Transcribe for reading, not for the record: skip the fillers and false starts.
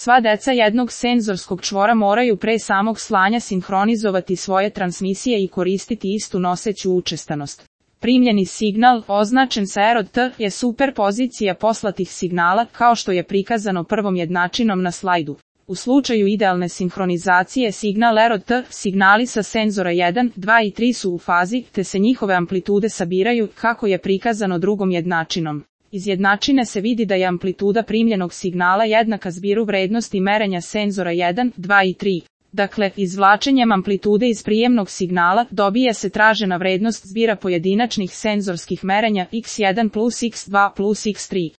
Sva deca jednog senzorskog čvora moraju pre samog slanja sinhronizovati svoje transmisije i koristiti istu noseću učestanost. Primljeni signal, označen sa ROT, je superpozicija poslatih signala, kao što je prikazano prvom jednačinom na slajdu. U slučaju idealne sinhronizacije signal ROT, signali sa senzora 1, 2 i 3 su u fazi, te se njihove amplitude sabiraju, kako je prikazano drugom jednačinom. Iz jednačine se vidi da je amplituda primljenog signala jednaka zbiru vrednosti merenja senzora 1, 2 i 3. Dakle, izvlačenjem amplitude iz prijemnog signala dobije se tražena vrednost zbira pojedinačnih senzorskih merenja x1 plus x2 plus x3.